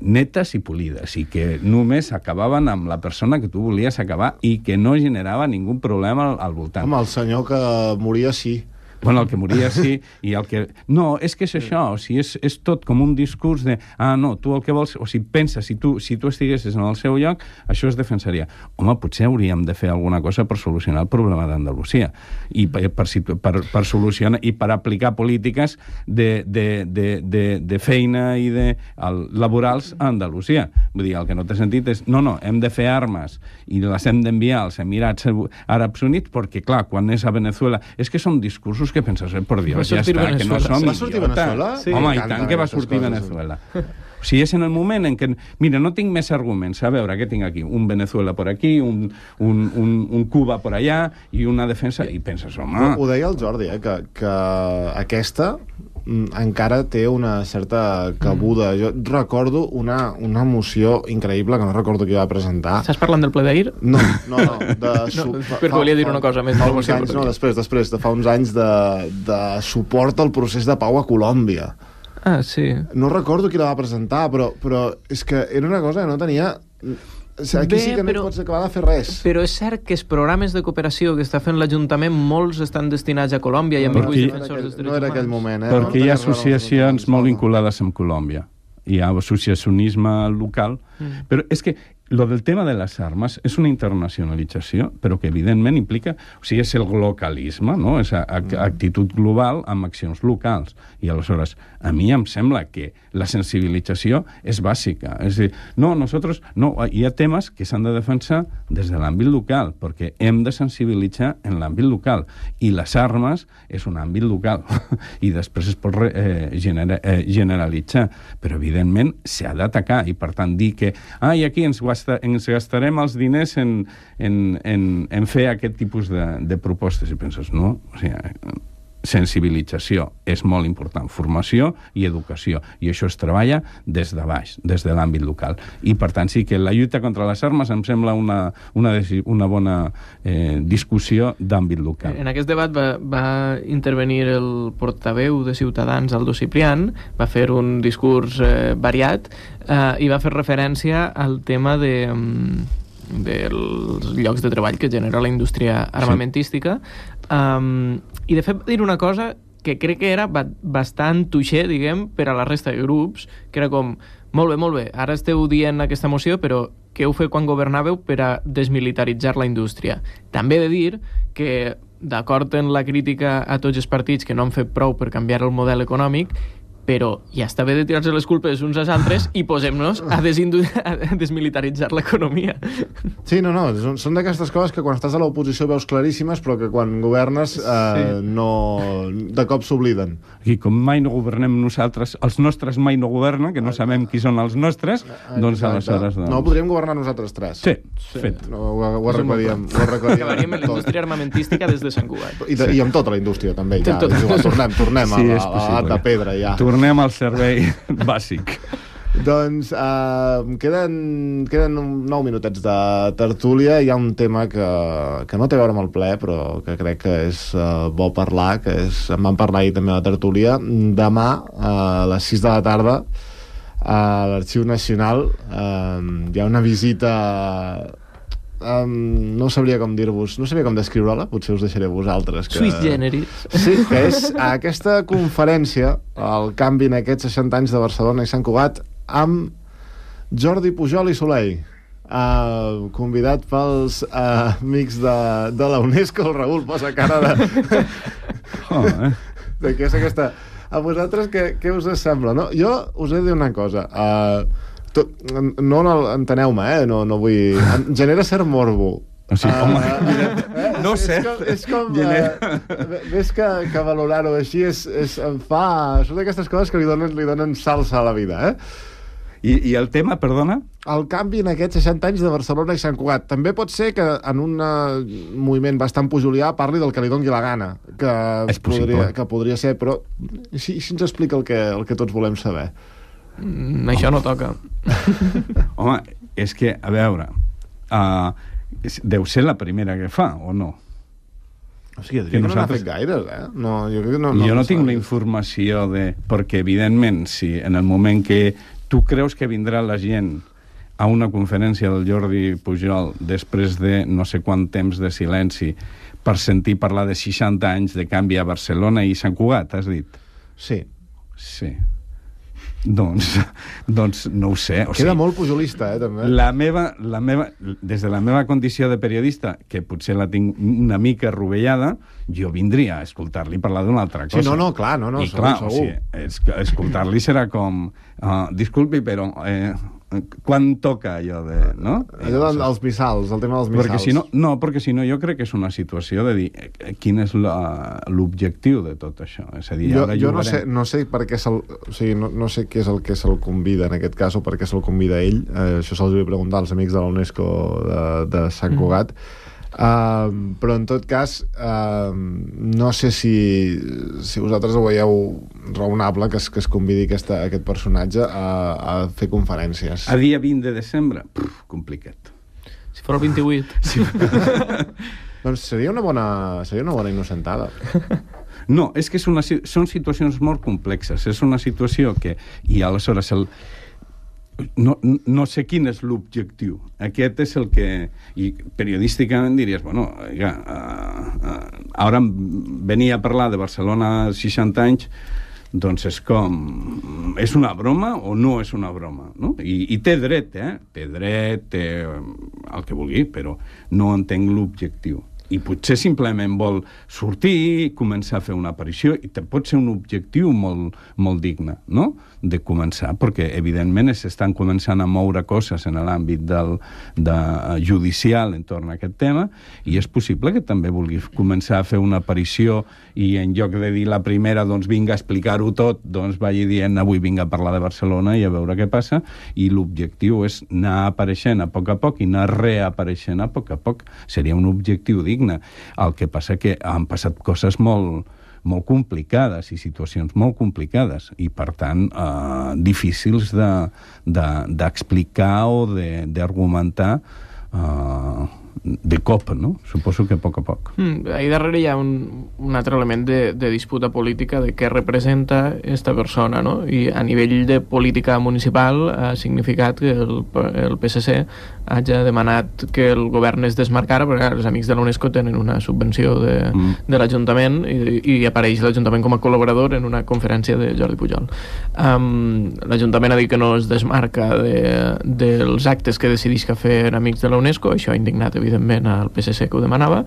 netes i polides, i que només acabaven amb la persona que tu volies acabar i que no generava ningú problema al voltant. Home, el senyor que moria sí. Bueno, el que moria sí, i el que... No, és que és això, o sigui, és tot com un discurs de, no, tu el que vols... O sigui, pensa, si tu estiguessis en el seu lloc, això es defensaria. Home, potser hauríem de fer alguna cosa per solucionar el problema d'Andalusia, i per solucionar, i per aplicar polítiques de feina i de laborals a Andalusia. Vull dir, el que no té sentit és, no, hem de fer armes i les hem d'enviar als Emirats Àrabs Units, perquè, clar, quan és a Venezuela... És que són discursos que penses, per Dios, ja està, que no som idiotes. Va sortir Venezuela? Sí. Home, i tant que va sortir Venezuela. O sigui, és en el moment en què... Mira, no tinc més arguments. A veure, què tinc aquí? Un Venezuela por aquí, un Cuba por allà, i una defensa... I penses, home... Ho deia el Jordi, que aquesta encara té una certa cabuda. Jo recordo una moció increïble, que no recordo qui va presentar. Estàs parlant del ple d'ahir? No. Perquè volia dir una cosa més. Després, de fa uns anys de suport al procés de pau a Colòmbia. Sí. No recordo qui la va presentar, però és que era una cosa que no tenia... Aquí sí que no pots acabar de fer res. Però és cert que els programes de cooperació que està fent l'Ajuntament, molts estan destinats a Colòmbia i a defensors dels drets humans. No era aquell moment, Perquè hi ha associacions molt vinculades amb Colòmbia. hi ha associacionisme local, però és que lo del tema de les armes és una internacionalització, però que evidentment implica... O sigui, és el localisme, no? És actitud global amb accions locals. I aleshores, a mi em sembla que la sensibilització és bàsica. És a dir, hi ha temes que s'han de defensar des de l'àmbit local, perquè hem de sensibilitzar en l'àmbit local. I les armes és un àmbit local. I després es pot generalitzar. Però, evidentment, s'ha d'atacar. I, per tant, dir que aquí ens gastarem els diners en fer aquest tipus de propostes. I penses, no? O sigui, sensibilització és molt important, formació i educació, i això es treballa des de baix, des de l'àmbit local. I, per tant, sí que la lluita contra les armes em sembla una bona discussió d'àmbit local. En aquest debat va intervenir el portaveu de Ciutadans, Aldo Ciprián, va fer un discurs variat i va fer referència al tema dels llocs de treball que genera la indústria armamentística. I de fet va dir una cosa que crec que era bastant tuixer, diguem, per a la resta de grups, que era com, molt bé, ara esteu dient aquesta moció, però què heu fet quan governàveu per a desmilitaritzar la indústria? També he de dir que, d'acord en la crítica a tots els partits que no han fet prou per canviar el model econòmic, però ja està bé de tirar-se les culpes uns als altres i posem-nos a desmilitaritzar l'economia. Sí, no, són d'aquestes coses que quan estàs a l'oposició veus claríssimes, però que quan governes de cop s'obliden. I com mai no governem nosaltres, els nostres mai no governen, que no sabem qui són els nostres, doncs aleshores... No, podríem governar nosaltres tres. Sí, fet. Ho arreglaríem. Acabaríem en la indústria armamentística des de Sant Cugat. I amb tota la indústria, també. Tornem a l'art de pedra, ja. Tornem al servei bàsic. Doncs queden 9 minutets de tertúlia. Hi ha un tema que no té a veure amb el ple, però que crec que és bo parlar, en vam parlar ahir també a la tertúlia. Demà, a les 6 de la tarda, a l'Arxiu Nacional, hi ha una visita... no sabria com dir-vos, no sabria com descriure-la, potser us deixaré vosaltres Sui generis. Sí, que és aquesta conferència, el canvi en aquests 60 anys de Barcelona i Sant Cugat, amb Jordi Pujol i Soleil, convidat pels amics de la UNESCO. El Raül posa cara de què és aquesta... A vosaltres què us sembla? No? Jo us he de dir una cosa, no enteneu-me, no vull... Em genera cert morbo. No sé. És com... Ves que valorar-ho així em fa... Són d'aquestes coses que li donen salsa a la vida, I el tema, perdona? El canvi en aquests 60 anys de Barcelona i Sant Cugat. També pot ser que en un moviment bastant pujulià parli del que li doni la gana. Que podria ser, però si ens explica el que tots volem saber. Això no toca. Home, és que, a veure, deu ser la primera que fa, o no? O sigui, que no n'ha fet gaires, No, jo crec que jo no tinc la informació perquè, evidentment, si en el moment que tu creus que vindrà la gent a una conferència del Jordi Pujol després de no sé quant temps de silenci per sentir parlar de 60 anys de canvi a Barcelona i Sant Cugat, has dit? Sí. Doncs no ho sé. Queda molt pujolista, també. Des de la meva condició de periodista, que potser la tinc una mica rovellada, jo vindria a escoltar-li parlar d'una altra cosa. Sí, clar, segur. O sigui, escoltar-li serà com... disculpi, però... quan toca allò de... No? Allò dels missals, el tema dels missals. Perquè si no jo crec que és una situació de dir quin és l'objectiu de tot això. És a dir, jo no sé per què no sé què és el que se'l convida en aquest cas o per què se'l convida ell. Això se'ls vull preguntar als amics de la UNESCO de Sant Cugat. Però en tot cas no sé si vosaltres ho veieu raonable que es convidi aquest personatge a fer conferències. A dia 20 de desembre? Complicat. Si fos el 28. Sí. Doncs seria una bona innocentada. No, és que són situacions molt complexes. És una situació que... I aleshores no sé quin és l'objectiu. Aquest és el que... I periodísticament diries, bueno, ara venia a parlar de Barcelona 60 anys, doncs és com... És una broma o no és una broma, no? I té dret, té dret, té el que vulgui, però no entenc l'objectiu. I potser simplement vol sortir i començar a fer una aparició, i pot ser un objectiu molt, molt digne, no?, de començar, perquè evidentment s'estan començant a moure coses en l'àmbit judicial entorn a aquest tema, i és possible que també vulgui començar a fer una aparició i en lloc de dir la primera, doncs vinga a explicar-ho tot, doncs vagi dient avui vinga a parlar de Barcelona i a veure què passa, i l'objectiu és anar apareixent a poc i anar reapareixent a poc. Seria un objectiu digne. El que passa que han passat coses molt complicades i situacions molt complicades i, per tant, difícils d'explicar o d'argumentar de cop, no? Suposo que a poc. Ahí darrere hi ha un altre element de disputa política de què representa esta persona, no? I a nivell de política municipal ha significat que el PSC hagi demanat que el govern es desmarcara, perquè els amics de l'UNESCO tenen una subvenció de l'Ajuntament i apareix l'Ajuntament com a col·laborador en una conferència de Jordi Pujol. L'Ajuntament ha dit que no es desmarca dels actes que decideix que fer amics de l'UNESCO, això ha indignat evidentment al PSC que ho demanava.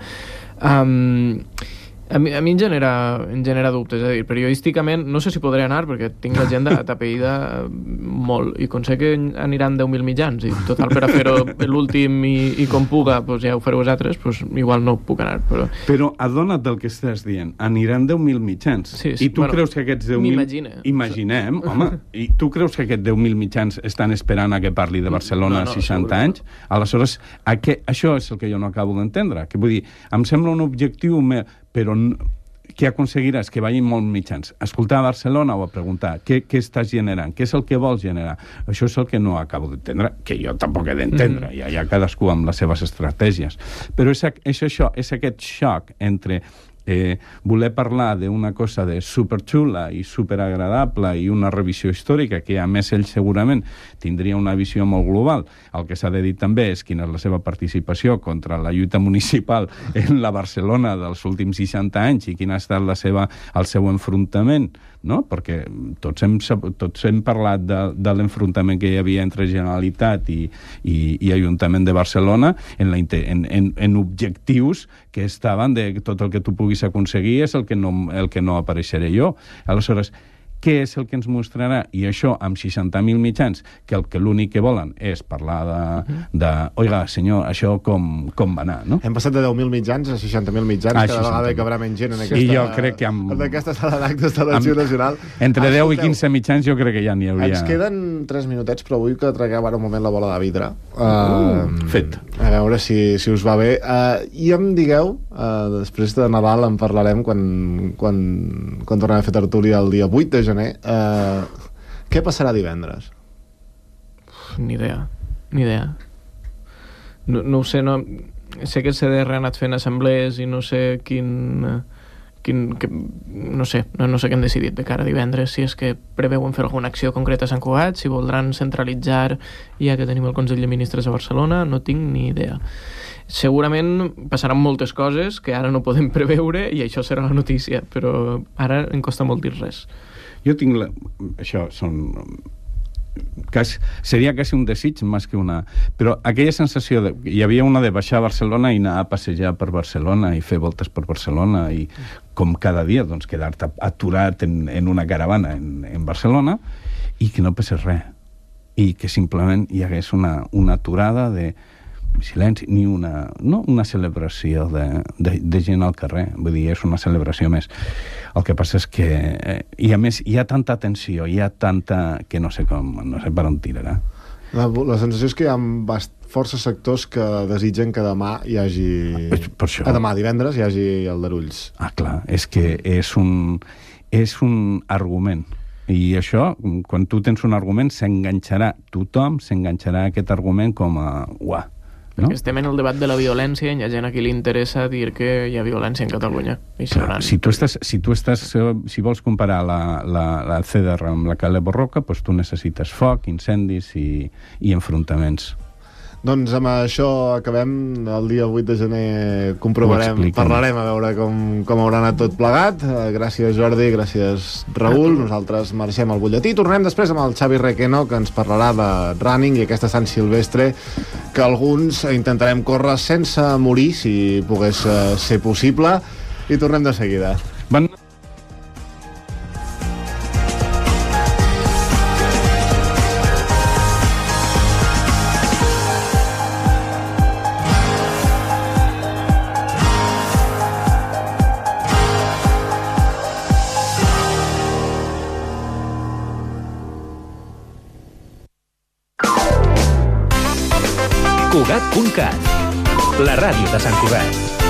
A mi em genera dubtes, és a dir, periodísticament no sé si podré anar perquè tinc l'agenda atapeïda molt i com sé que aniran 10.000 mitjans i total per a fer-ho l'últim i com puga, doncs ja ho fareu vosaltres, doncs igual no puc anar. Però adona't del que estàs dient, aniran 10.000 mitjans. Sí, I tu creus que aquests 10.000... Imaginem, home, i tu creus que aquests 10.000 mitjans estan esperant a que parli de Barcelona 60 anys? Aleshores, això és el que jo no acabo d'entendre. Que vull dir, em sembla un objectiu però què aconseguiràs? Que vagin molts mitjans. Escoltar a Barcelona o a preguntar què estàs generant? Què és el que vols generar? Això és el que no acabo d'entendre, que jo tampoc he d'entendre. Ja hi ha cadascú amb les seves estratègies. Però és aquest xoc entre voler parlar d'una cosa de superxula i superagradable i una revisió històrica que a més ell segurament tindria una visió molt global. El que s'ha de dir també és quina és la seva participació contra la lluita municipal en la Barcelona dels últims 60 anys i quin ha estat el seu enfrontament, no? Perquè tots hem parlat de l'enfrontament que hi havia entre Generalitat i Ajuntament de Barcelona en objectius que estaven de tot el que tu puguis aconseguir és el que no apareixeré jo. Aleshores, què és el que ens mostrarà? I això, amb 60.000 mitjans, que l'únic que volen és parlar oiga, senyor, això com va anar, no? Hem passat de 10.000 mitjans a 60.000 mitjans, cada vegada hi cabrà menys gent en aquesta sala d'actes de l'Arxiu Nacional. Entre 10 i 15 mitjans jo crec que ja n'hi hauria... Ens queden 3 minutets, però vull que tragueu ara un moment la bola de vidre. Fet. A veure si us va bé. I em digueu, després de Nadal en parlarem quan tornem a fer tertúlia el dia 8 de gener, què passarà divendres? Ni idea. No ho sé, sé que el CDR ha anat fent assemblees i no sé no sé què han decidit de cara a divendres, si és que preveuen fer alguna acció concreta a Sant Cugat, si voldran centralitzar ja que tenim el Consell de Ministres a Barcelona, no tinc ni idea. Segurament passaran moltes coses que ara no podem preveure i això serà la notícia, però ara em costa molt dir res. Jo tinc això seria quasi un desig més que una... Però aquella sensació hi havia una de baixar a Barcelona i anar a passejar per Barcelona i fer voltes per Barcelona i com cada dia doncs, quedar-te aturat en una caravana en Barcelona i que no passés res i que simplement hi hagués una aturada de silenci, ni una celebració de gent al carrer, vull dir, és una celebració més. El que passa és que i a més hi ha tanta tensió, hi ha tanta que no sé per on tirarà. La sensació és que hi ha força sectors que desitgen que demà hi hagi... Per això. Demà, divendres, hi hagi aldarulls. Clar, és que és un argument. I això, quan tu tens un argument, tothom s'enganxarà a aquest argument com a... No? Perquè estem en el debat de la violència i hi ha gent a qui li interessa dir que hi ha violència en Catalunya. Si vols comparar la CDR amb la Cala Borroca, doncs tu necessites foc, incendis i enfrontaments. Doncs amb això acabem. El dia 8 de gener parlarem a veure com haurà anat tot plegat. Gràcies, Jordi, gràcies, Raül. Nosaltres marxem al butlletí. Tornem després amb el Xavi Requeno, que ens parlarà de running i aquesta Sant Silvestre que alguns intentarem córrer sense morir, si pogués ser possible. I tornem de seguida. Cugat.cat, la ràdio de Sant Cugat.